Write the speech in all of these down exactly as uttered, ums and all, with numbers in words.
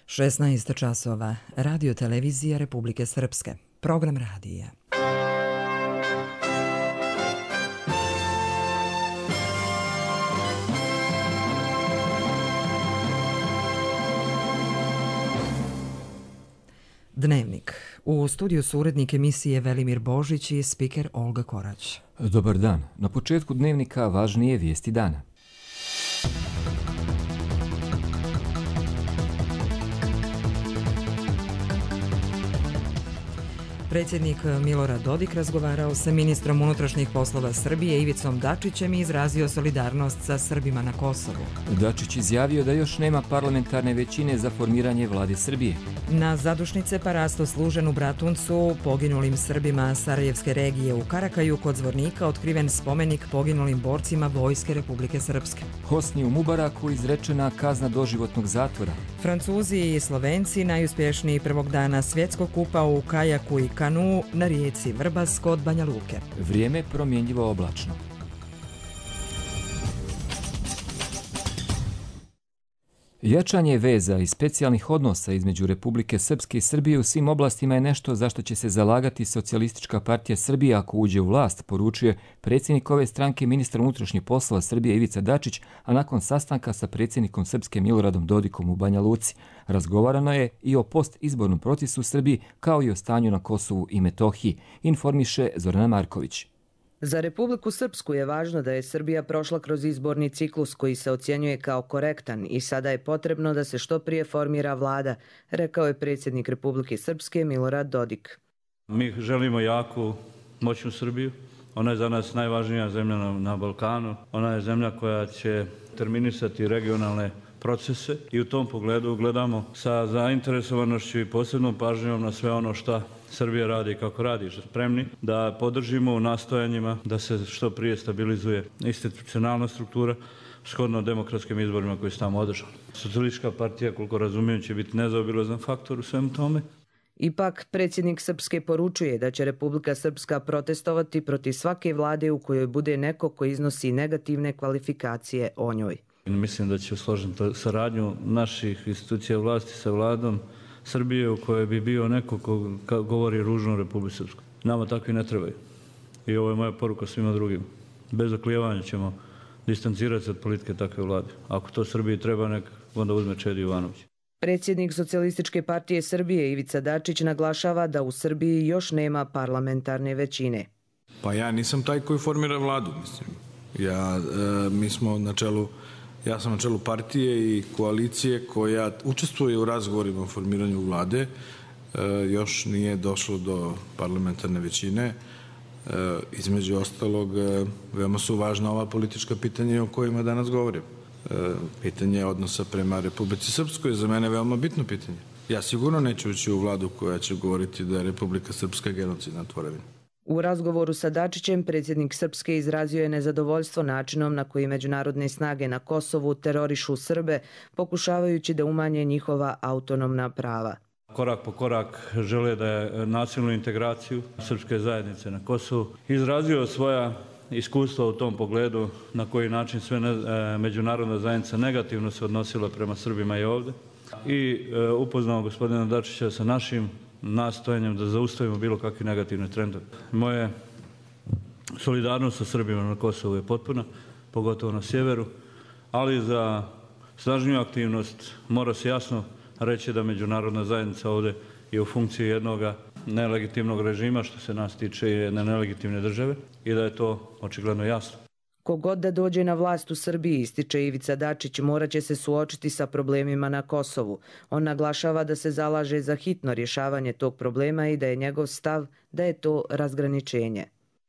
šesnaest časova. Radio televizija Republike Srpske. Program radija. Dnevnik. U studiju su urednik emisije Velimir Božić i spiker Olga Korać. Dobar dan. Na početku dnevnika važnije vijesti dana. Predsjednik Milorad Dodik razgovarao sa ministrom unutrašnjih poslova Srbije Ivicom Dačićem i izrazio solidarnost sa Srbima na Kosovu. Dačić izjavio da još nema parlamentarne većine za formiranje vlade Srbije. Na zadušnice parasto služen u Bratuncu poginulim Srbima Sarajevske regije u Karakaju kod Zvornika otkriven spomenik poginulim borcima Vojske Republike Srpske. Hosni u Mubaraku izrečena kazna doživotnog zatvora. Francuzi i Slovenci najuspješniji prvog dana svjetskog kupa u kajaku i kanu na rijeci Vrbas kod Banja Luke. Vrijeme promjenjivo oblačno. Jačanje veza i specijalnih odnosa između Republike Srpske i Srbije u svim oblastima je nešto za što će se zalagati Socijalistička partija Srbije ako uđe u vlast, poručuje predsjednik ove stranke ministar unutrašnjih poslova Srbije Ivica Dačić, a nakon sastanka sa predsjednikom Srpske Miloradom Dodikom u Banja Luci. Razgovarano je i o postizbornom procesu u Srbiji kao i o stanju na Kosovu i Metohiji, informiše Zorana Marković. Za Republiku Srpsku je važno da je Srbija prošla kroz izborni ciklus koji se ocjenjuje kao korektan i sada je potrebno da se što prije formira vlada, rekao je predsjednik Republike Srpske Milorad Dodik. Mi želimo jaku, moćnu Srbiju. Ona je za nas najvažnija zemlja na, na Balkanu. Ona je zemlja koja će terminisati regionalne procese i u tom pogledu gledamo sa zainteresovanošću i posebnom pažnjom na sve ono što Srbija radi i kako radi, što spremni da podržimo u nastojanjima da se što prije stabilizuje institucionalna struktura shodno demokratskim izborima koji su tamo održani. Socijalistička partija, koliko razumijem, će biti nezaobilazan faktor u svemu tome. Ipak, predsjednik Srpske poručuje da će Republika Srpska protestovati protiv svake vlade u kojoj bude neko ko iznosi negativne kvalifikacije o njoj. Mislim da će složiti saradnju naših institucija vlasti sa vladom Srbije u kojoj bi bio neko ko govori ružno o Republici Srpskoj. Nama takvi ne trebaju. I ovo je moja poruka svima drugim. Bez oklijevanja ćemo distancirati se od politike takve vlade. Ako to Srbiji treba, nek onda uzme Čedi Jovanović. Predsjednik Socijalističke partije Srbije Ivica Dačić naglašava da u Srbiji još nema parlamentarne većine. Pa ja nisam taj koji formira vladu, mislim. Ja, e, mi smo na čelu Ja sam na čelu partije i koalicije koja učestvuje u razgovorima o formiranju vlade. E, još nije došlo do parlamentarne većine. E, između ostalog, e, veoma su važna ova politička pitanja o kojima danas govorim. E, pitanje odnosa prema Republici Srpskoj je za mene veoma bitno pitanje. Ja sigurno neću ući u vladu koja će govoriti da je Republika Srpska genocidna tvorevina. U razgovoru sa Dačićem predsjednik Srpske izrazio je nezadovoljstvo načinom na koji međunarodne snage na Kosovu terorišu Srbe, pokušavajući da umanje njihova autonomna prava. Korak po korak žele da je nacionalnu integraciju srpske zajednice na Kosovu. Izrazio svoja iskustva u tom pogledu na koji način sve ne, e, međunarodna zajednica negativno se odnosila prema Srbima i ovdje. I e, upoznao gospodina Dačića sa našim nastojanjem da zaustavimo bilo kakve negativne trendove. Moje solidarnost sa Srbima na Kosovu je potpuna, pogotovo na sjeveru, ali za snažniju aktivnost mora se jasno reći da međunarodna zajednica ovdje je u funkciji jednog nelegitimnog režima, što se nas tiče jedne nelegitimne države, i da je to očigledno jasno. Kogod da dođe na vlast u Srbiji, ističe Ivica Dačić, morat će se suočiti sa problemima na Kosovu. On naglašava da se zalaže za hitno rješavanje tog problema i da je njegov stav da je to razgraničenje.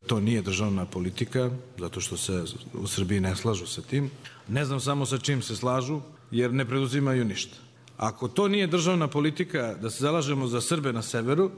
To nije državna politika, zato što se u Srbiji ne slažu sa tim. Ne znam samo sa čim se slažu, jer ne preduzimaju ništa. Ako to nije državna politika da se zalažemo za Srbe na severu,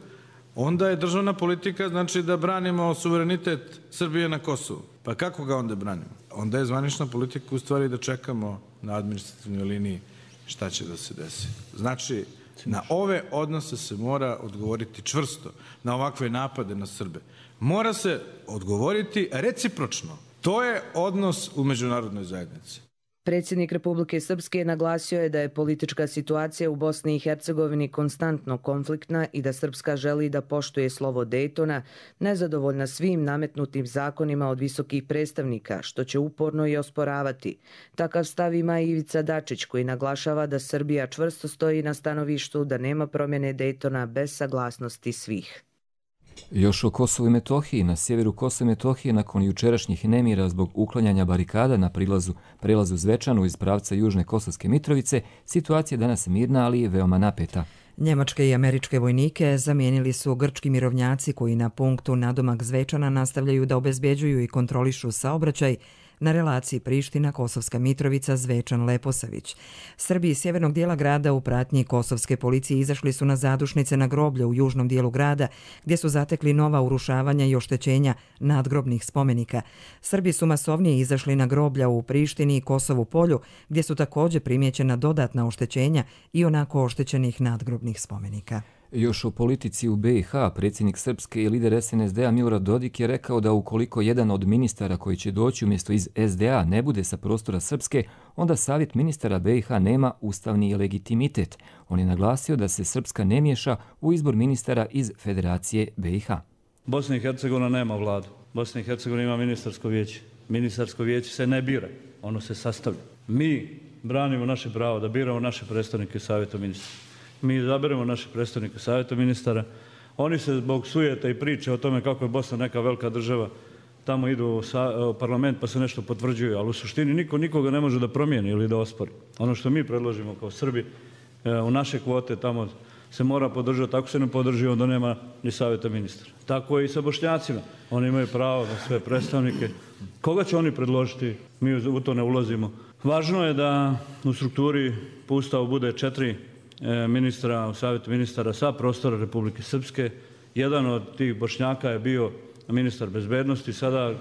onda je državna politika znači da branimo suverenitet Srbije na Kosovu. Pa kako ga onda branimo? Onda je zvanična politika u stvari da čekamo na administrativnoj liniji šta će da se desi. Znači, na ove odnose se mora odgovoriti čvrsto, na ovakve napade na Srbe. Mora se odgovoriti recipročno. To je odnos u međunarodnoj zajednici. Predsjednik Republike Srpske naglasio je da je politička situacija u Bosni i Hercegovini konstantno konfliktna i da Srpska želi da poštuje slovo Dejtona, nezadovoljna svim nametnutim zakonima od visokih predstavnika, što će uporno i osporavati. Takav stav ima i Ivica Dačić, koji naglašava da Srbija čvrsto stoji na stanovištu da nema promjene Dejtona bez saglasnosti svih. Još o Kosovu i Metohiji. Na sjeveru Kosova i Metohije nakon jučerašnjih nemira zbog uklanjanja barikada na prilazu, prelazu Zvečanu iz pravca Južne Kosovske Mitrovice, situacija je danas mirna, ali je veoma napeta. Njemačke i američke vojnike zamijenili su grčki mirovnjaci koji na punktu nadomak Zvečana nastavljaju da obezbjeđuju i kontrolišu saobraćaj na relaciji Priština-Kosovska Mitrovica Zvečan-Leposavić. Srbi iz sjevernog dijela grada u pratnji kosovske policije izašli su na zadušnice na groblje u južnom dijelu grada, gdje su zatekli nova urušavanja i oštećenja nadgrobnih spomenika. Srbi su masovnije izašli na groblja u Prištini i Kosovu polju, gdje su također primijećena dodatna oštećenja i onako oštećenih nadgrobnih spomenika. Još o politici u be i ha, predsjednik Srpske i lider es en es de a Milorad Dodik je rekao da ukoliko jedan od ministara koji će doći umjesto iz es de a ne bude sa prostora Srpske, onda savjet ministara be i ha nema ustavni legitimitet. On je naglasio da se Srpska ne miješa u izbor ministara iz Federacije be i ha. Bosna i Hercegovina nema vladu. Bosna i Hercegovina ima ministarsko vijeće. Ministarsko vijeće se ne bira, ono se sastavlja. Mi branimo naše pravo da biramo naše predstavnike savjeta ministara. Mi izaberemo naše predstavnike savjeta ministara. Oni se zbog sujeta i priče o tome kako je Bosna neka velika država, tamo idu u parlament pa se nešto potvrđuju, ali u suštini niko nikoga ne može da promijeni ili da ospori. Ono što mi predložimo kao Srbi u naše kvote tamo se mora podržati, ako se ne podrži onda nema ni savjeta ministara. Tako je i sa Bošnjacima. Oni imaju pravo na sve predstavnike. Koga će oni predložiti? Mi u to ne ulazimo. Važno je da u strukturi po Ustavu bude četiri ministra u savjetu ministara sa prostora Republike Srpske. Jedan od tih Bošnjaka je bio ministar bezbednosti. Sada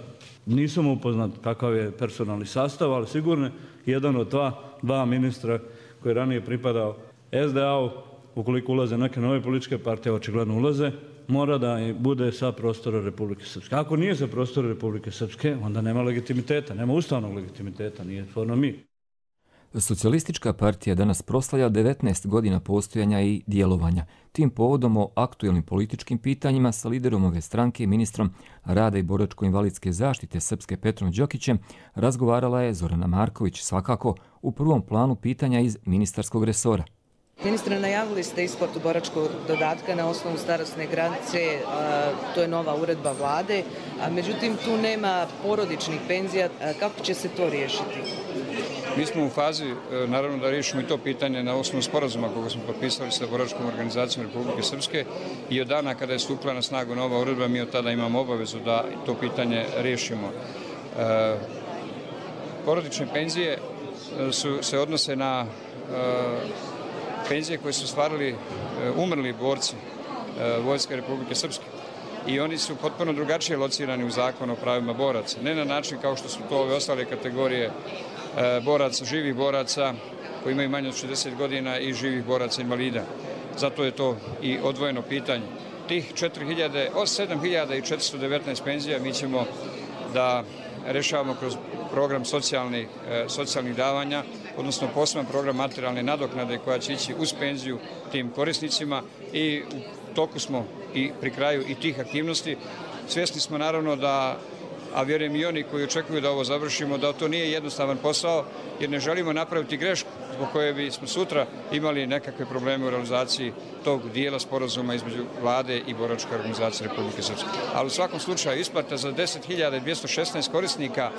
nisam upoznat kakav je personalni sastav, ali sigurno jedan od dva, dva ministra koji je ranije pripadao es de a-u, ukoliko ulaze neke nove političke partije, očigledno ulaze, mora da bude sa prostora Republike Srpske. Ako nije sa prostora Republike Srpske, onda nema legitimiteta, nema ustavnog legitimiteta, nije stvarno mi. Socijalistička partija danas proslavlja devetnaest godina postojanja i djelovanja. Tim povodom o aktuelnim političkim pitanjima sa liderom ove stranke i ministrom rada i boračko-invalidske zaštite Srpske Petrom Đokićem razgovarala je Zorana Marković, svakako u prvom planu pitanja iz ministarskog resora. Ministre, najavili ste isplatu boračkog dodatka na osnovu starosne granice, to je nova uredba vlade, a međutim tu nema porodičnih penzija. Kako će se to riješiti? Mi smo u fazi, naravno, da riješimo i to pitanje na osnovu sporazuma koga smo potpisali sa Boračkom organizacijom Republike Srpske i od dana kada je stupila na snagu nova uredba, mi od tada imamo obavezu da to pitanje riješimo. E, porodične penzije su, se odnose na e, penzije koje su stvarali e, umrli borci e, Vojske Republike Srpske. I oni su potpuno drugačije locirani u zakonu o pravima boraca. Ne na način kao što su to ove ostale kategorije boraca, živih boraca koji imaju manje od šezdeset godina i živih boraca invalida. Zato je to i odvojeno pitanje. Tih sedam hiljada četiristo devetnaest penzija mi ćemo da rešavamo kroz program socijalnih, socijalnih davanja, odnosno poseban program materijalne nadoknade koja će ići uz penziju tim korisnicima i u toku smo i pri kraju i tih aktivnosti. Svjesni smo naravno da, a vjerujem i oni koji očekuju da ovo završimo, da to nije jednostavan posao, jer ne želimo napraviti grešku zbog koje bi smo sutra imali nekakve probleme u realizaciji tog dijela sporazuma između vlade i Boračke organizacije Republike Srpske. Ali u svakom slučaju isplata za deset hiljada dvjesto šesnaest korisnika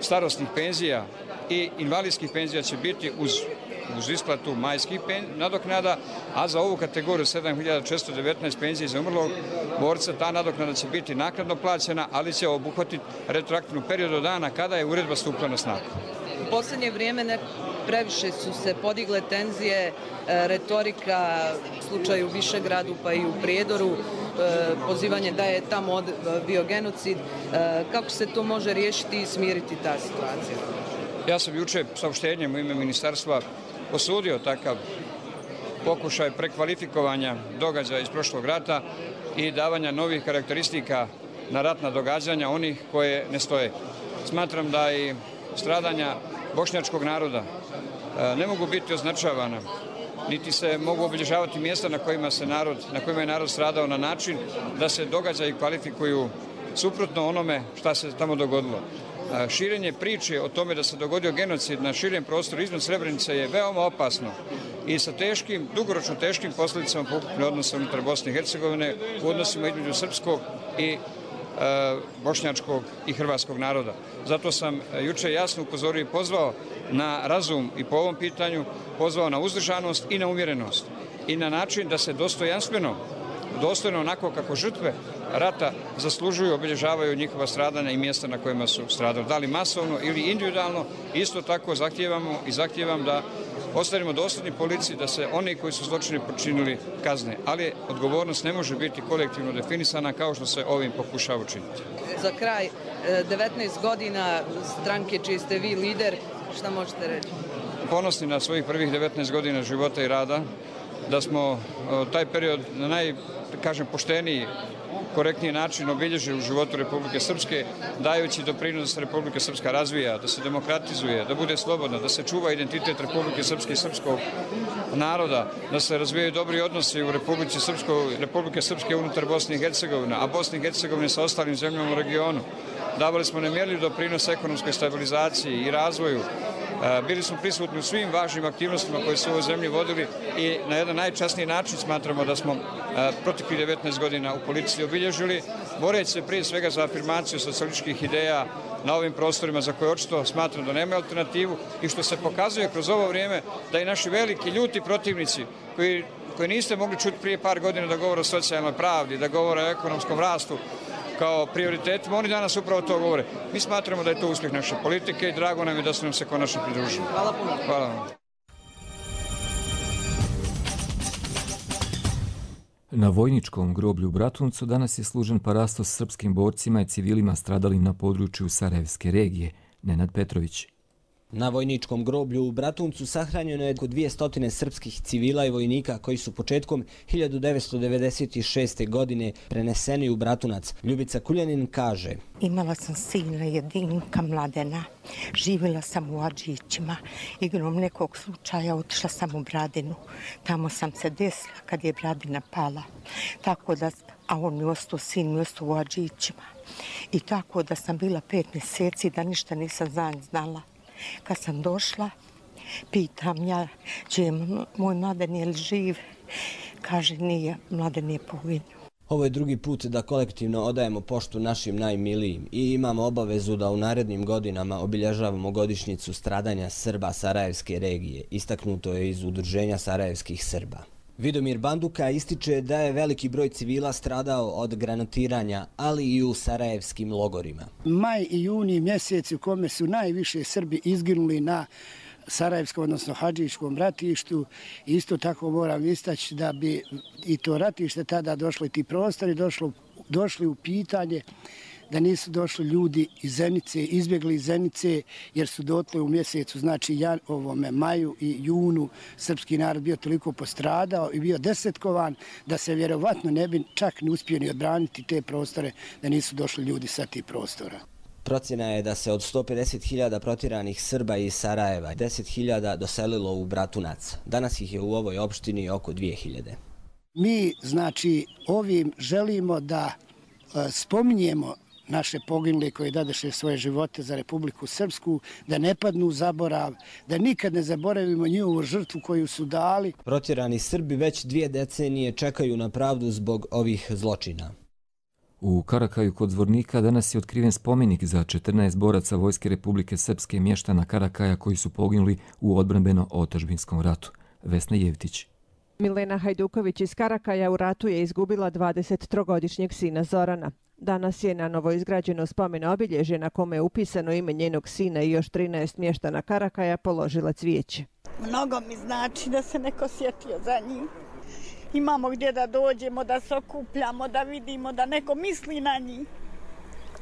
starosnih penzija i invalidskih penzija će biti uz, uz isplatu majskih nadoknada, a za ovu kategoriju sedam hiljada četiristo devetnaest penzija za umrlog borca ta nadoknada će biti naknadno plaćena, ali će obuhvatiti retroaktivnu period od dana kada je uredba stupila na snagu. U posljednje vrijeme ne, previše su se podigle tenzije, retorika u slučaju Višegradu pa i u Prijedoru, pozivanje da je tamo bio genocid. Kako se to može riješiti i smiriti ta situacija? Ja sam juče saopštenjem u ime ministarstva osudio takav pokušaj prekvalifikovanja događaja iz prošlog rata i davanja novih karakteristika na ratna događanja onih koje ne stoje. Smatram da i stradanja bošnjačkog naroda ne mogu biti označavana, niti se mogu obilježavati mjesta na kojima se narod, na kojima je narod stradao na način da se događaji kvalifikuju suprotno onome šta se tamo dogodilo. Širenje priče o tome da se dogodio genocid na širem prostoru izvan Srebrenice je veoma opasno i sa teškim, dugoročno teškim posljedicama po ukupne odnose unutar Bosne i Hercegovine u odnosima između srpskog i bošnjačkog i hrvatskog naroda. Zato sam juče jasno upozorio i pozvao na razum i po ovom pitanju, pozvao na uzdržanost i na umjerenost i na način da se dostojanstveno, dostojno onako kako žrtve rata zaslužuju, obilježavaju njihova stradanja i mjesta na kojima su stradali. Da li masovno ili individualno, isto tako zahtijevamo i zahtijevam da ostanemo dosljedni policiji, da se oni koji su zločine počinili kazne. Ali odgovornost ne može biti kolektivno definisana kao što se ovim pokušava učiniti. Za kraj, devetnaest godina stranke čiji ste vi lider, šta možete reći? Ponosni na svojih prvih devetnaest godina života i rada, da smo taj period na naj, kažem, pošteniji, korektniji način obilježili u životu Republike Srpske, dajući doprinos da se Republika Srpska razvija, da se demokratizuje, da bude slobodna, da se čuva identitet Republike Srpske i srpskog naroda, da se razvijaju dobri odnosi u Republike Srpske, Republike Srpske unutar Bosne i Hercegovine, a Bosne i Hercegovine sa ostalim zemljama u regionu. Davali smo nemjerljiv doprinos ekonomskoj stabilizaciji i razvoju. Bili smo prisutni u svim važnim aktivnostima koje su u ovoj zemlji vodili i na jedan najčasniji način smatramo da smo proteklih devetnaest godina u politici obilježili, boreći se prije svega za afirmaciju socijalističkih ideja na ovim prostorima za koje očito smatram da nema alternativu i što se pokazuje kroz ovo vrijeme da i naši veliki ljuti protivnici koji, koji niste mogli čuti prije par godina da govore o socijalnoj pravdi, da govore o ekonomskom rastu kao prioritetima, oni danas upravo to govore. Mi smatramo da je to uspjeh naše politike i drago nam je da su nam se konačno pridružili. Hvala puno. Hvala vam. Na vojničkom groblju u Bratuncu danas je služen parastos srpskim borcima i civilima stradalim na području Sarajevske regije. Nenad Petrović. Na vojničkom groblju u Bratuncu sahranjeno je oko dvjesto srpskih civila i vojnika koji su početkom hiljadu devetsto devedeset šeste. godine preneseni u Bratunac. Ljubica Kuljanin kaže: Imala sam sina jedinka Mladena, živjela sam u Adžićima, igrom nekog slučaja otišla sam u Bradinu. Tamo sam se desila kad je Bradina pala, tako da, a on mi ostao, sin mi ostao u Adžićima. I tako da sam bila pet mjeseci da ništa nisam za nj znala. Kad sam došla, pitam ja, če je moj Mladen je li živ? Kaže, nije, Mladen je poginuo. Ovo je drugi put da kolektivno odajemo poštu našim najmilijim i imamo obavezu da u narednim godinama obilježavamo godišnjicu stradanja Srba Sarajevske regije, istaknuto je iz Udruženja Sarajevskih Srba. Vidomir Banduka ističe da je veliki broj civila stradao od granatiranja, ali i u sarajevskim logorima. Maj i juni mjeseci u kome su najviše Srbi izginuli na Sarajevskom, odnosno Hadžičkom ratištu. Isto tako moram istaći da bi i to ratište tada došli ti prostori, došlo, došli u pitanje da nisu došli ljudi iz Zenice, izbjegli iz Zenice, jer su dotle u mjesecu, znači jan, ovome, maju i junu, srpski narod bio toliko postradao i bio desetkovan da se vjerovatno ne bi čak ne uspio ni odbraniti te prostore da nisu došli ljudi sa tih prostora. Procjena je da se od sto pedeset hiljada protjeranih Srba iz Sarajeva deset hiljada doselilo u Bratunac. Danas ih je u ovoj opštini oko dvije hiljade. Mi, znači, ovim želimo da e, spominjemo naše poginule koji dadeše svoje živote za Republiku Srpsku, da ne padnu u zaborav, da nikad ne zaboravimo njihovu žrtvu koju su dali. Protjerani Srbi već dvije decenije čekaju na pravdu zbog ovih zločina. U Karakaju kod Zvornika danas je otkriven spomenik za četrnaest boraca Vojske Republike Srpske mještana Karakaja koji su poginuli u odbrambeno-otadžbinskom ratu. Vesna Jevtić. Milena Hajduković iz Karakaja u ratu je izgubila dvadesettrogodišnjeg sina Zorana. Danas je na novo izgrađeno spomen obilježje na kome je upisano ime njenog sina i još trinaest mještana Karakaja položila cvijeće. Mnogo mi znači da se neko sjetio za njih. Imamo gdje da dođemo, da se okupljamo, da vidimo da neko misli na njih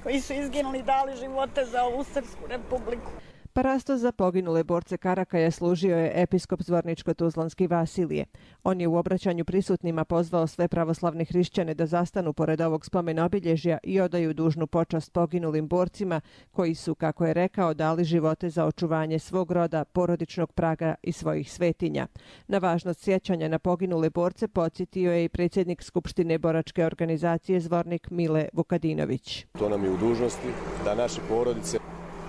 koji su izginuli, dali živote za ovu Srpsku republiku. Parastos za poginule borce Karakaja služio je episkop Zvorničko-Tuzlanski Vasilije. On je u obraćanju prisutnima pozvao sve pravoslavne hrišćane da zastanu pored ovog spomen obilježja i odaju dužnu počast poginulim borcima koji su, kako je rekao, dali živote za očuvanje svog roda, porodičnog praga i svojih svetinja. Na važnost sjećanja na poginule borce podsjetio je i predsjednik Skupštine boračke organizacije Zvornik Mile Vukadinović. To nam je u dužnosti da naše porodice,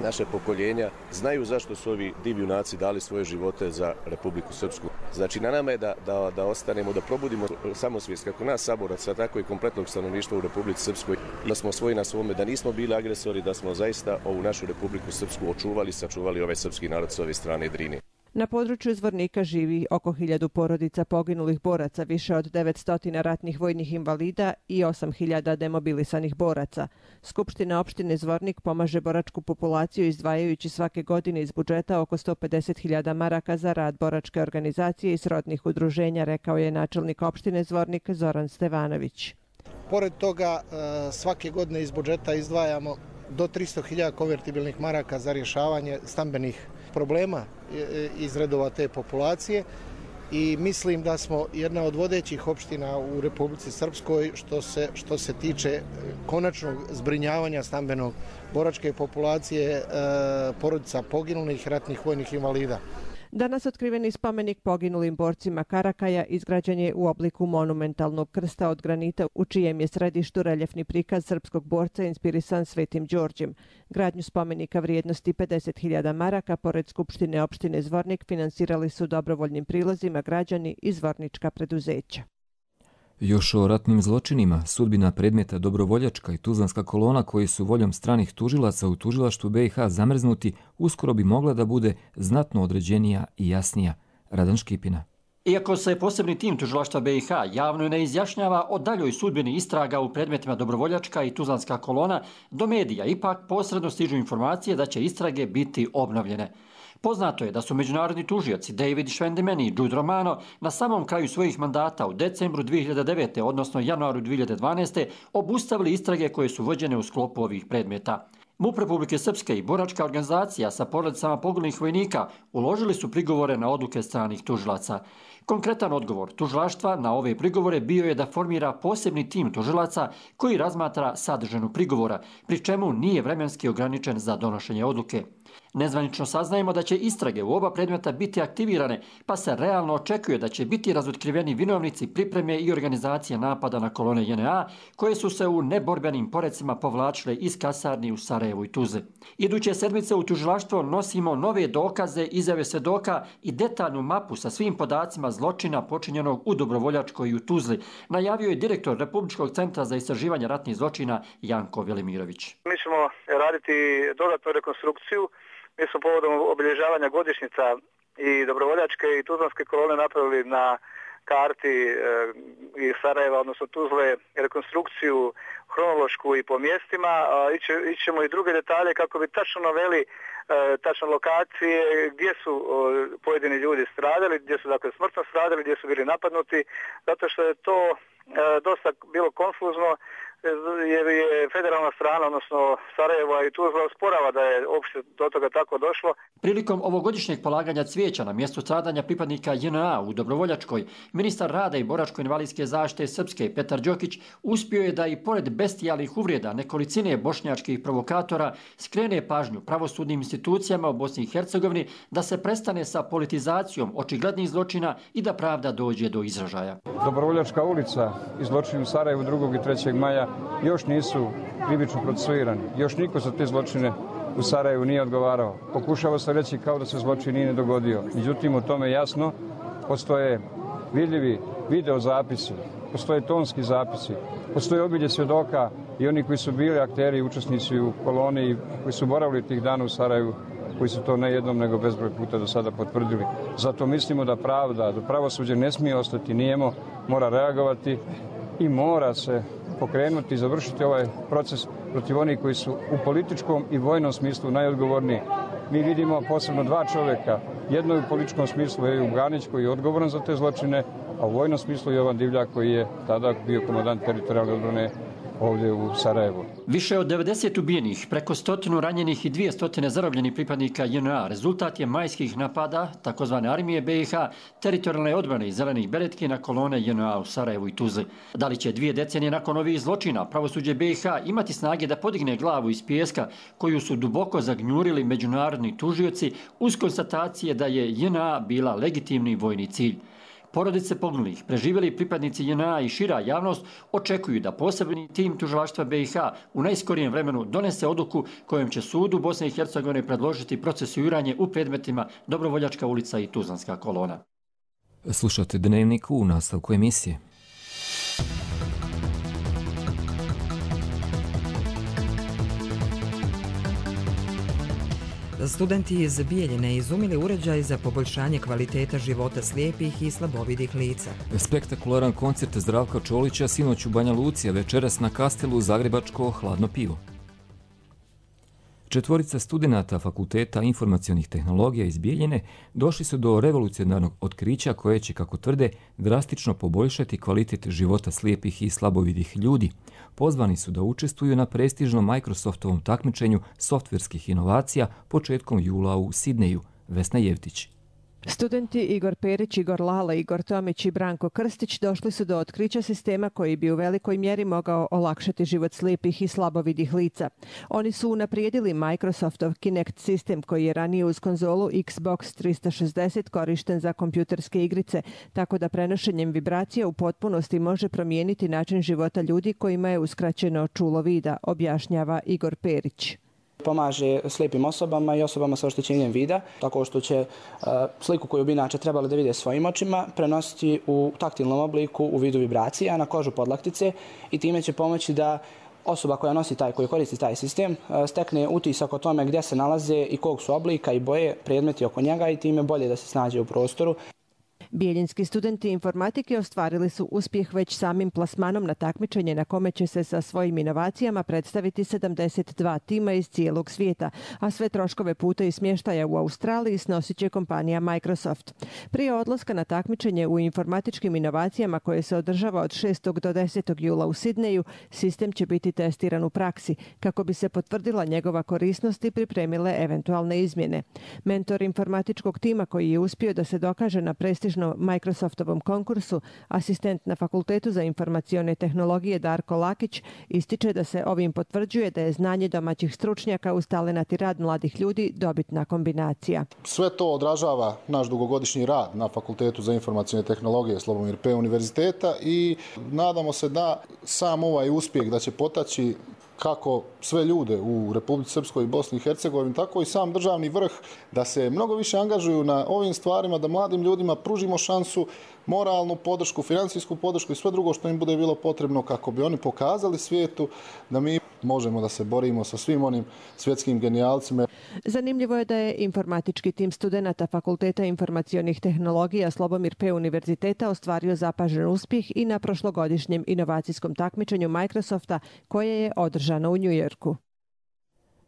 naše pokoljenja znaju zašto su ovi divi junaci dali svoje živote za Republiku Srpsku. Znači na nama je da, da, da ostanemo, da probudimo samosvijest kako nas saboraca, tako i kompletnog stanovništva u Republici Srpskoj. Da smo svoji na svome, da nismo bili agresori, da smo zaista ovu našu Republiku Srpsku očuvali, sačuvali ovaj srpski narod s ove strane Drine. Na području Zvornika živi oko hiljadu porodica poginulih boraca, više od devetsto ratnih vojnih invalida i osam hiljada demobilisanih boraca. Skupština opštine Zvornik pomaže boračku populaciju izdvajajući svake godine iz budžeta oko sto pedeset hiljada maraka za rad boračke organizacije i srodnih udruženja, rekao je načelnik opštine Zvornik Zoran Stevanović. Pored toga svake godine iz budžeta izdvajamo do tristo hiljada konvertibilnih maraka za rješavanje stambenih problema iz redova te populacije i mislim da smo jedna od vodećih opština u Republici Srpskoj što se, što se tiče konačnog zbrinjavanja stambenog boračke populacije porodica poginulih ratnih vojnih invalida. Danas otkriveni spomenik poginulim borcima Karakaja izgrađen je u obliku monumentalnog krsta od granita u čijem je središtu reljefni prikaz srpskog borca inspirisan Svetim Đorđem. Gradnju spomenika vrijednosti pedeset hiljada maraka pored Skupštine opštine Zvornik finansirali su dobrovoljnim prilozima građani i zvornička preduzeća. Još o ratnim zločinima, sudbina predmeta Dobrovoljačka i Tuzlanska kolona koji su voljom stranih tužilaca u tužilaštvu B i H zamrznuti, uskoro bi mogla da bude znatno određenija i jasnija. Radan Škipina. Iako se posebni tim tužilaštva B i H javno ne izjašnjava o daljoj sudbini istraga u predmetima Dobrovoljačka i Tuzlanska kolona, do medija ipak posredno stižu informacije da će istrage biti obnovljene. Poznato je da su međunarodni tužioci David Schwendeman i Jude Romano na samom kraju svojih mandata u decembru dvije hiljade devete. odnosno januaru dvije hiljade dvanaeste. obustavili istrage koje su vođene u sklopu ovih predmeta. MUP Republike Srpske i boračka organizacija sa porodicama poginulih vojnika uložili su prigovore na odluke stranih tužilaca. Konkretan odgovor tužilaštva na ove prigovore bio je da formira posebni tim tužilaca koji razmatra sadržinu prigovora, pri čemu nije vremenski ograničen za donošenje odluke. Nezvanično saznajemo da će istrage u oba predmeta biti aktivirane, pa se realno očekuje da će biti razotkriveni vinovnici pripreme i organizacije napada na kolone J N A, koje su se u neborbenim porecima povlačile iz kasarni u Sarajevu i Tuzli. Iduće sedmice u tužilaštvo nosimo nove dokaze, izjave svedoka i detaljnu mapu sa svim podacima zločina počinjenog u Dobrovoljačkoj i u Tuzli, najavio je direktor Republičkog centra za istraživanje ratnih zločina Janko Velimirović. Mi ćemo raditi dodatnu rekonstrukciju. Mi smo povodom obilježavanja godišnjica i Dobrovoljačke i Tuzlanske kolone napravili na karti e, iz Sarajeva, odnosno Tuzle, rekonstrukciju hronološku i po mjestima. Iće, ićemo i druge detalje kako bi tačno naveli e, tačno lokacije gdje su o, pojedini ljudi stradali, gdje su dakle smrtno stradali, gdje su bili napadnuti, zato što je to e, dosta bilo konfuzno, jer je federalna strana, odnosno Sarajeva i Tuzla, osporava da je uopšte do toga tako došlo. Prilikom ovogodišnjeg polaganja cvijeća na mjestu stradanja pripadnika J N A u Dobrovoljačkoj, ministar rada i boračko-invalidske zaštite Srpske Petar Đokić uspio je da i pored bestijalnih uvreda nekolicine bošnjačkih provokatora skrene pažnju pravosudnim institucijama u Bosni i Hercegovini da se prestane sa politizacijom očiglednih zločina i da pravda dođe do izražaja. Dobrovoljačka ulica i zločini u Sarajevu drugog i trećeg maja još nisu krivično procesuirani. Još niko za te zločine u Sarajevu nije odgovarao. Pokušava se reći kao da se zločin nije dogodio. Međutim, u tome jasno postoje vidljivi video zapisi, postoje tonski zapisi, postoje obilje svjedoka i oni koji su bili akteri i učesnici u koloni i koji su boravili tih dana u Sarajevu, koji su to ne jednom nego bezbroj puta do sada potvrdili. Zato mislimo da pravda, da pravosuđe ne smije ostati nijemo, mora reagovati i mora se pokrenuti i završiti ovaj proces protiv onih koji su u političkom i vojnom smislu najodgovorniji. Mi vidimo posebno dva čovjeka. Jedno je u političkom smislu Ejub Ganić koji je odgovoran za te zločine, a u vojnom smislu Jovan Divljak koji je tada bio komandant teritorijalne odbrane ovdje u Sarajevu. Više od devedeset ubijenih, preko stotinu ranjenih i dvije stotine zarobljenih pripadnika J N A rezultat je majskih napada takozvane armije B i H, teritorijalne odbrane i zelenih beretki na kolone J N A u Sarajevu i Tuzli. Da li će dvije decenije nakon ovih zločina pravosuđe B i H imati snage da podigne glavu iz pijeska koju su duboko zagnjurili međunarodni tužioci uz konstatacije da je J N A bila legitimni vojni cilj? Porodice poginulih, preživjeli pripadnici J N A i šira javnost očekuju da posebni tim tužilaštva B i H u najskorijem vremenu donese odluku kojom će sudu Bosne i Hercegovine predložiti procesuiranje u predmetima Dobrovoljačka ulica i Tuzlanska kolona. Slušate Dnevnik u nastavku emisije. Studenti iz Bijeljine izumili uređaj za poboljšanje kvaliteta života slijepih i slabovidih lica. Spektakularan koncert Zdravka Čolića sinoć u Banja Luci, a večeras na Kastelu zagrebačko hladno pivo. Četvorica studenata Fakulteta informacionih tehnologija iz Bijeljine došli su do revolucionarnog otkrića koje će, kako tvrde, drastično poboljšati kvalitet života slijepih i slabovidih ljudi. Pozvani su da učestvuju na prestižnom Microsoftovom takmičenju softverskih inovacija početkom jula u Sidneju. Vesna Jevtić. Studenti Igor Perić, Igor Lala, Igor Tomić i Branko Krstić došli su do otkrića sistema koji bi u velikoj mjeri mogao olakšati život slijepih i slabovidih lica. Oni su unaprijedili Microsoftov Kinect sistem koji je ranije uz konzolu Xbox trista šezdeset korišten za kompjuterske igrice, tako da prenošenjem vibracija u potpunosti može promijeniti način života ljudi kojima je uskraćeno čulo vida, objašnjava Igor Perić. Pomaže slijepim osobama i osobama sa oštećenjem vida, tako što će uh, sliku koju bi inače trebali da vide svojim očima prenositi u taktilnom obliku u vidu vibracija na kožu podlaktice i time će pomoći da osoba koja nosi taj, koji koristi taj sistem uh, stekne utisak o tome gdje se nalaze i kog su oblika i boje predmeti oko njega i time bolje da se snađe u prostoru. Bijeljinski studenti informatike ostvarili su uspjeh već samim plasmanom na takmičenje na kome će se sa svojim inovacijama predstaviti sedamdeset dva tima iz cijelog svijeta, a sve troškove puta i smještaja u Australiji snosit će kompanija Microsoft. Prije odlaska na takmičenje u informatičkim inovacijama koje se održava od šestog do desetog jula u Sidneju, sistem će biti testiran u praksi kako bi se potvrdila njegova korisnost i pripremile eventualne izmjene. Mentor informatičkog tima koji je uspio da se dokaže na prestižnom Microsoftovom konkursu, asistent na Fakultetu za informacione tehnologije Darko Lakić, ističe da se ovim potvrđuje da je znanje domaćih stručnjaka uz talenat i rad mladih ljudi dobitna kombinacija. Sve to odražava naš dugogodišnji rad na Fakultetu za informacione tehnologije Slobomir P. univerziteta i nadamo se da sam ovaj uspjeh da će potaći kako sve ljude u Republici Srpskoj i Bosni i Hercegovini, tako i sam državni vrh da se mnogo više angažuju na ovim stvarima, da mladim ljudima pružimo šansu, moralnu podršku, financijsku podršku i sve drugo što im bude bilo potrebno kako bi oni pokazali svijetu da mi možemo da se borimo sa svim onim svjetskim genijalcima. Zanimljivo je da je informatički tim studenata Fakulteta informacionih tehnologija Slobomir P. univerziteta ostvario zapažen uspjeh i na prošlogodišnjem inovacijskom takmičenju Microsofta koje je održano u Njujorku.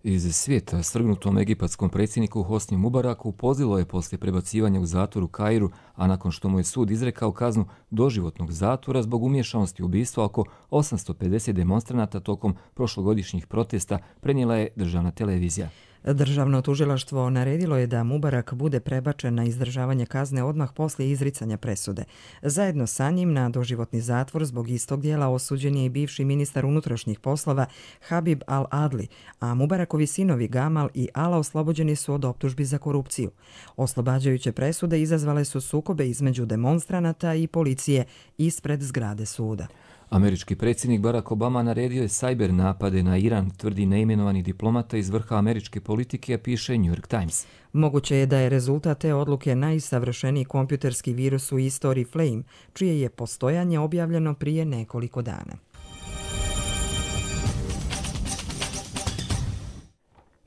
Iz svijeta strgnutom egipatskom predsjedniku Hosni Mubaraku pozilo je poslije prebacivanja u zatvor u Kairu, a nakon što mu je sud izrekao kaznu doživotnog zatvora zbog umješanosti u ubistva oko osamsto pedeset demonstranata tokom prošlogodišnjih protesta, prenijela je državna televizija. Državno tužilaštvo naredilo je da Mubarak bude prebačen na izdržavanje kazne odmah poslije izricanja presude. Zajedno sa njim na doživotni zatvor zbog istog dijela osuđen je i bivši ministar unutrašnjih poslova Habib al-Adli, a Mubarakovi sinovi Gamal i Ala oslobođeni su od optužbi za korupciju. Oslobađajuće presude izazvale su sukobe između demonstranata i policije ispred zgrade suda. Američki predsjednik Barack Obama naredio je cyber napade na Iran, tvrdi neimenovani diplomata iz vrha američke politike, piše New York Times. Moguće je da je rezultat te odluke najsavršeniji kompjuterski virus u istoriji Flame, čije je postojanje objavljeno prije nekoliko dana.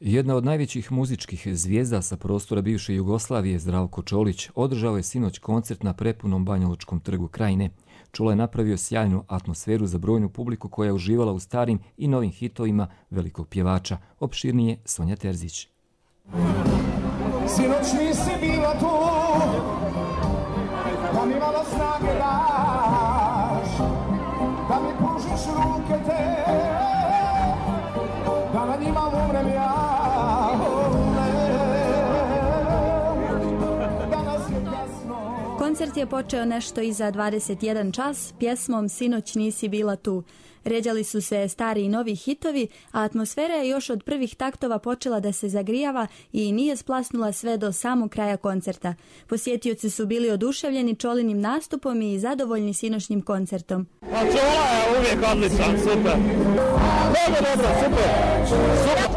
Jedna od najvećih muzičkih zvijezda sa prostora bivše Jugoslavije, Zdravko Čolić, održao je sinoć koncert na prepunom Banjalučkom trgu Krajine. Čolo je napravio sjajnu atmosferu za brojnu publiku koja je uživala u starim i novim hitovima velikog pjevača. Opširnije Sonja Terzić. Sinoć nisi bila tu, da mi malo snage daš, da mi pružiš ruke te. Koncert je počeo nešto iza dvadeset jedan čas pjesmom Sinoć nisi bila tu. Ređali su se stari i novi hitovi, a atmosfera je još od prvih taktova počela da se zagrijava i nije splasnula sve do samog kraja koncerta. Posjetioci su bili oduševljeni Čolinim nastupom i zadovoljni sinoćnim koncertom. Pa Čola je uvijek odličan, super. Dobro, dobro, super. Super.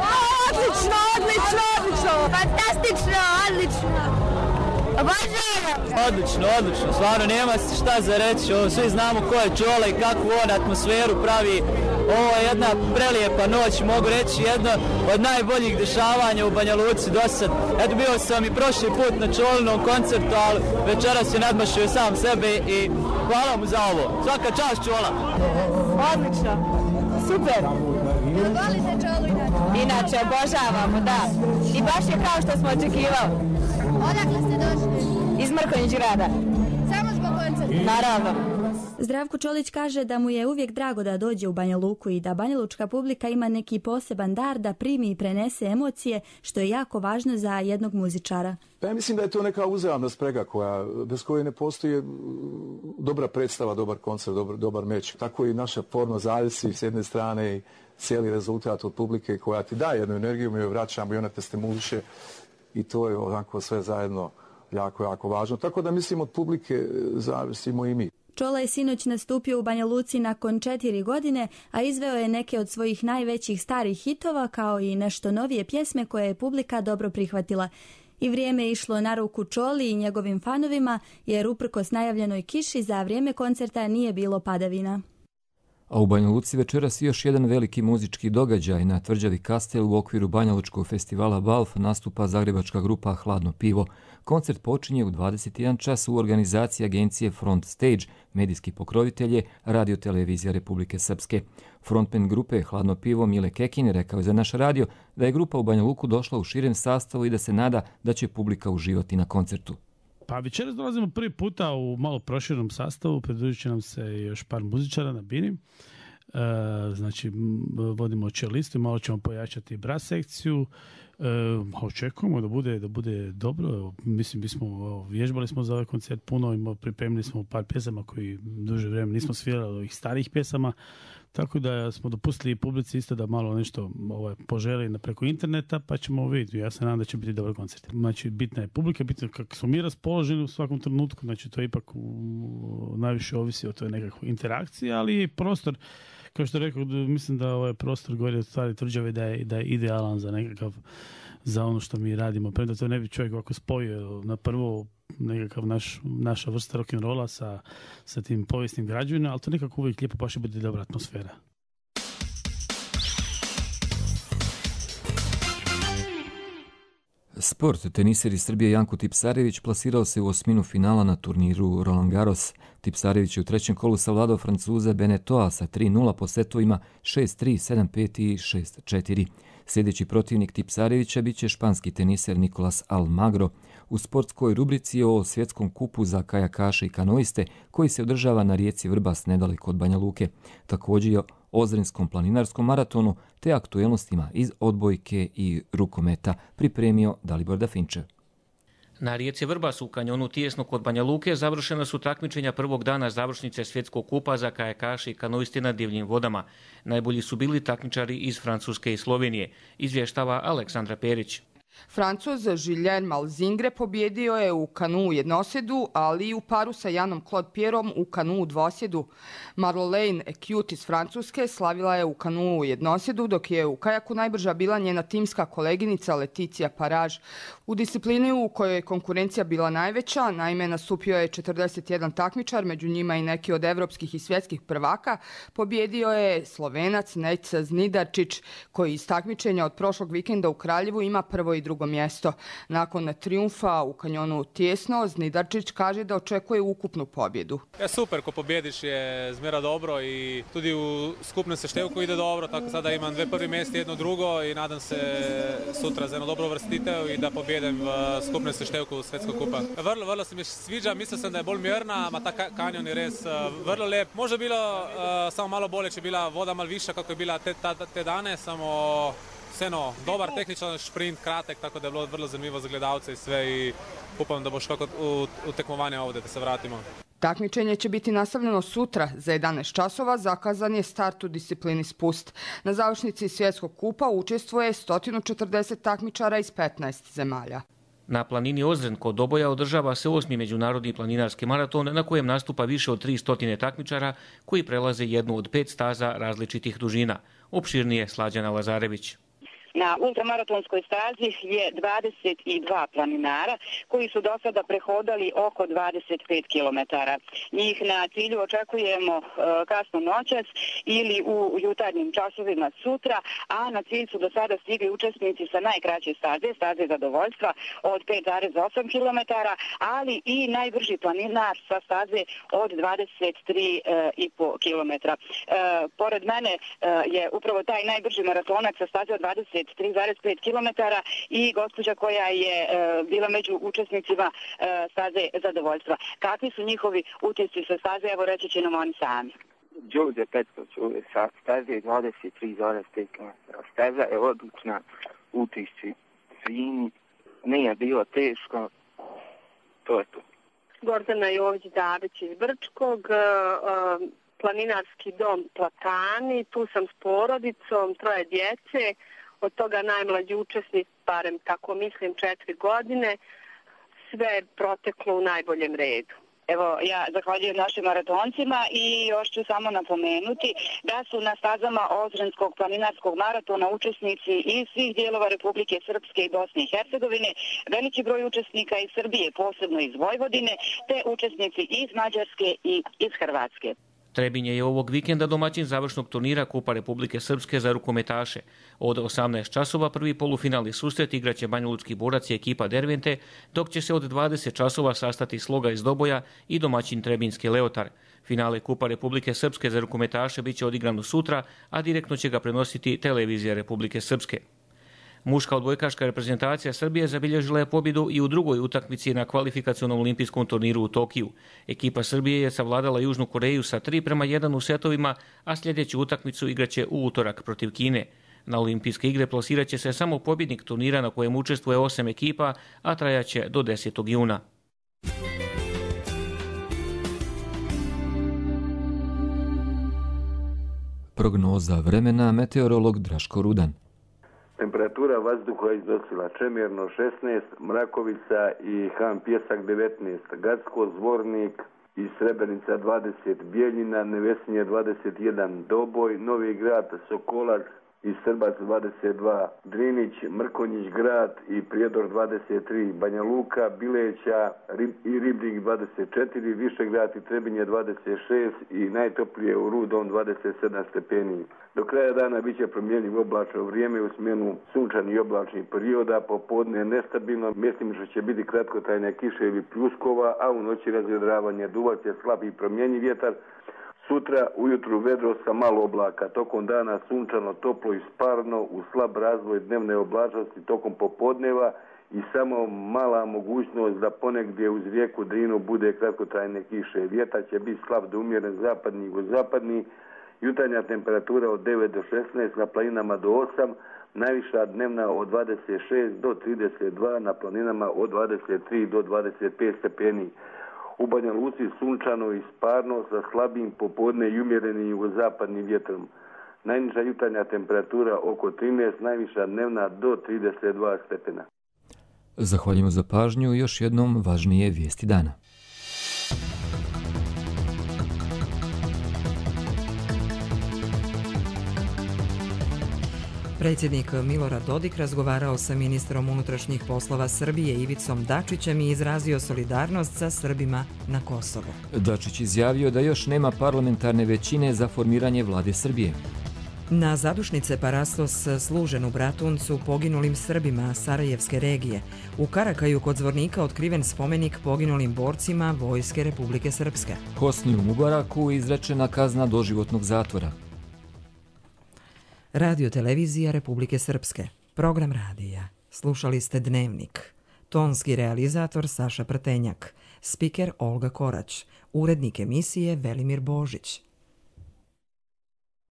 Odlično, odlično, odlično. Fantastično, odlično. Odlično, odlično, stvarno nema šta za reći, ovo, svi znamo ko je Čola i kakvu on atmosferu pravi. Ovo je jedna prelijepa noć, mogu reći jedna od najboljih dešavanja u Banja Luci do sad. Eto, bio sam i prošli put na Čolinom koncertu, ali večeras je nadmašio sam sebe i hvala mu za ovo. Svaka čast Čola. Odlično, super. Volite Čolu inače? Inače, obožavamo, da. I baš je kao što smo očekivali. Odakle ste došli? Iz Mrkonjić grada. Samo zbog koncerta? Naravno. Zdravko Čolić kaže da mu je uvijek drago da dođe u Banja Luku i da banjalučka publika ima neki poseban dar da primi i prenese emocije, što je jako važno za jednog muzičara. Pa ja mislim da je to neka uzajamna sprega koja, bez koje ne postoji dobra predstava, dobar koncert, dobar, dobar meč. Tako i naša forma zavisi s jedne strane i cijeli rezultat od publike koja ti daje jednu energiju, mi joj vraćamo i ona te stimuliše i to je onako sve zajedno jako, jako važno. Tako da mislim od publike zavisimo i mi. Čola je sinoć nastupio u Banja Luci nakon četiri godine, a izveo je neke od svojih najvećih starih hitova kao i nešto novije pjesme koje je publika dobro prihvatila. I vrijeme je išlo na ruku Čoli i njegovim fanovima, jer uprkos najavljenoj kiši za vrijeme koncerta nije bilo padavina. A u Banja Luci večeras još jedan veliki muzički događaj. Na tvrđavi Kastel u okviru Banjalučkog festivala Balf nastupa zagrebačka grupa Hladno pivo. Koncert počinje u dvadeset jedan čas u organizaciji agencije Front Stage, medijski pokrovitelje Radio Televizija Republike Srpske. Frontman grupe Hladno pivo Mile Kekin rekao je za naš radio da je grupa u Banja Luku došla u širem sastavu i da se nada da će publika uživati na koncertu. Pa večeras dolazimo prvi puta u malo proširenom sastavu, pridružit će nam se još par muzičara na bini. E, znači, vodimo čelistu i malo ćemo pojačati bras sekciju. E, očekujemo da bude, da bude dobro. Mislim, bismo, vježbali smo za ovaj koncert puno, pripremili smo par pjesama koji duže vrijeme nismo svirali ovih starih pjesama. Tako da smo dopustili publici isto da malo nešto ovaj, poželi preko interneta, pa ćemo vidjeti. Ja se nadam da će biti dobar koncert. Znači, bitna je publika, bitno je kako smo mi raspoloženi u svakom trenutku, znači to ipak u, najviše ovisi o toj nekakvoj interakciji, ali i prostor, kao što rekao, mislim da ovaj prostor gore od stvari tvrđave da je, da je idealan za nekakav, za ono što mi radimo. Premda to ne bi čovjek ovako spojio na prvo nekakav naš, naša vrsta rock'n'rolla sa, sa tim povijesnim građevinama, ali to nekako uvijek lijepo baš bude dobra atmosfera. Sport. Teniser iz Srbije Janko Tipsarević plasirao se u osminu finala na turniru Roland Garros. Tipsarević je u trećem kolu savladao Francuza Benetoa sa tri nula po setovima šest tri, sedam pet i šest četiri. Sljedeći protivnik Tipsarevića bit će španski teniser Nicolas Almagro. U sportskoj rubrici o svjetskom kupu za kajakaše i kanoiste koji se održava na rijeci Vrbas nedaleko od Banja Luke. Također je o Ozrenskom planinarskom maratonu te aktuelnostima iz odbojke i rukometa pripremio Dalibor Dafinčev. Na rijeci Vrbas u kanjonu tijesno kod Banja Luke završena su takmičenja prvog dana završnice svjetskog kupa za kajakaše i kanoiste na divljim vodama. Najbolji su bili takmičari iz Francuske i Slovenije, izvještava Aleksandra Perić. Francuz Julien Malzingre pobjedio je u kanu jednosjedu, ali i u paru sa Janom Claude Pierrom u kanu dvosjedu. Marlene Ecute iz Francuske slavila je u kanu jednosjedu, dok je u kajaku najbrža bila njena timska koleginica Leticia Paraž. U disciplini u kojoj je konkurencija bila najveća, naime nastupio je četrdeset jedan takmičar, među njima i neki od evropskih i svjetskih prvaka, pobjedio je Slovenac Neca Znidarčić, koji iz takmičenja od prošlog vikenda u Kraljevu ima prvo i drugo mjesto. Nakon trijumfa u kanjonu tijesno, Znidarčić kaže da očekuje ukupnu pobjedu. Ja, super, ko pobjediš je zmjera dobro i tudi u skupnom seštevku ide dobro, tako sada imam dve prvi mjesta, jedno drugo i nadam se sutra za jedno dobro vrstitev i da pobjedem v skupnem seštevku Svetskog kupa. Vrlo, vrlo se mi sviđa, mislil sem da je bolj mirna, ma ta kanjon je res vrlo lep. Može bilo uh, samo malo bolje, če bila voda malo višja, kako je bila te, ta, te dane, samo Seno, dobar tehničan šprint, kratek, tako da je bilo vrlo zanimljivo za gledalce i sve i upam da bo što u, u tekmovanje ovdje da se vratimo. Takmičenje će biti nastavljeno sutra za jedanaest časova, zakazan je start u disciplini spust. Na završnici svjetskog kupa učestvuje sto četrdeset takmičara iz petnaest zemalja. Na planini Ozren kod Doboja održava se osmi međunarodni planinarski maraton na kojem nastupa više od tristo takmičara koji prelaze jednu od pet staza različitih dužina. Opširnije Slađana Lazarević. Na ultramaratonskoj stazi je dvadeset dva planinara koji su do sada prehodali oko dvadeset pet kilometara. Njih na cilju očekujemo kasno noćas ili u jutarnjim časovima sutra, a na cilj su do sada stigli učesnici sa najkraće staze, staze zadovoljstva od pet zarez osam kilometara, ali i najbrži planinar sa staze od dvadeset tri i po kilometra. Pored mene je upravo taj najbrži maratonac sa staze od dvadeset tri zarez pet kilometara i gospođa koja je e, bila među učesnicima e, staze zadovoljstva. Kakvi su njihovi utisci sa staze, evo reći će nam oni sami. Đorđe Petković, sa staze dvadeset tri zarez pet kilometara. Staza je odlična, utisci fini, nije bilo teško, to je to. Gordana Jović-Dabić iz Brčkog, e, e, planinarski dom Platani, tu sam s porodicom, troje djece, od toga najmlađi učesnik, barem tako mislim, četiri godine, sve je proteklo u najboljem redu. Evo, ja zahvaljujem našim maratoncima i još ću samo napomenuti da su na stazama Ozrenskog planinarskog maratona učesnici iz svih dijelova Republike Srpske i Bosne i Hercegovine, veliki broj učesnika iz Srbije, posebno iz Vojvodine, te učesnici iz Mađarske i iz Hrvatske. Trebinje je ovog vikenda domaćin završnog turnira Kupa Republike Srpske za rukometaše. Od osamnaest časova prvi polufinalni susret igraće banjalučki Borac i ekipa Dervente, dok će se od dvadeset časova sastati Sloga iz Doboja i domaćin Trebinski Leotar. Finale Kupa Republike Srpske za rukometaše biće odigrano sutra, a direktno će ga prenositi Televizija Republike Srpske. Muška odbojkaška reprezentacija Srbije zabilježila je pobjedu i u drugoj utakmici na kvalifikacionom olimpijskom turniru u Tokiju. Ekipa Srbije je savladala Južnu Koreju sa tri prema jedan u setovima, a sljedeću utakmicu igraće u utorak protiv Kine. Na olimpijske igre plasirat će se samo pobjednik turnira na kojem učestvuje osam ekipa, a trajaće do desetog juna. Prognoza vremena, meteorolog Draško Rudan. Temperatura vazduha iznosila Čemirno šesnaest, Mrakovica i Han Pjesak devetnaest, Gacko, Zvornik i Srebrenica dvadeset, Bijeljina, Nevesinje dvadeset jedan, Doboj, Novi Grad, Sokolac i Srbac dvadeset dva, Drinić, Mrkonjić grad i Prijedor dvadeset tri, Banja Luka, Bileća Rib i Ribnik dvadeset četiri, Višegrad i Trebinje dvadeset šest i najtoplije u Rudom dvadeset sedam stepeni. Do kraja dana biće promjenjivo oblačno vrijeme u smjenu sunčani i oblačnih perioda, popodne nestabilno, mjestimično će biti kratkotrajne kiše ili pljuskova, a u noći razvedravanje, duvat će slab i promjenjiv vjetar. Sutra ujutru vedro sa malo oblaka, tokom dana sunčano, toplo i sparno, u slab razvoj dnevne oblačnosti tokom popodneva i samo mala mogućnost da ponegdje uz rijeku Drinu bude kratkotrajne kiše. Vjetar će biti slab do umjeren zapadni i jugozapadni, jutarnja temperatura od devet do šesnaest, na planinama do osam, najviša dnevna od dvadeset šest do trideset dva, na planinama od dvadeset tri do dvadeset pet stepeni. U Banja Luci sunčano i sparno sa slabim popodne i umjerenim jugozapadnim vjetrom. Najniža jutarnja temperatura oko trinaest, najviša dnevna do trideset dva stepena. Zahvaljujemo za pažnju i još jednom važnije vijesti dana. Predsjednik Milorad Dodik razgovarao sa ministrom unutrašnjih poslova Srbije Ivicom Dačićem i izrazio solidarnost sa Srbima na Kosovu. Dačić izjavio da još nema parlamentarne većine za formiranje vlade Srbije. Na zadušnice Parastos služen u Bratuncu poginulim Srbima Sarajevske regije. U Karakaju kod Zvornika otkriven spomenik poginulim borcima Vojske Republike Srpske. Hosniju Mubaraku izrečena kazna doživotnog zatvora. Radio televizija Republike Srpske. Program radija. Slušali ste Dnevnik. Tonski realizator Saša Prtenjak. Spiker Olga Korać. Urednik emisije Velimir Božić.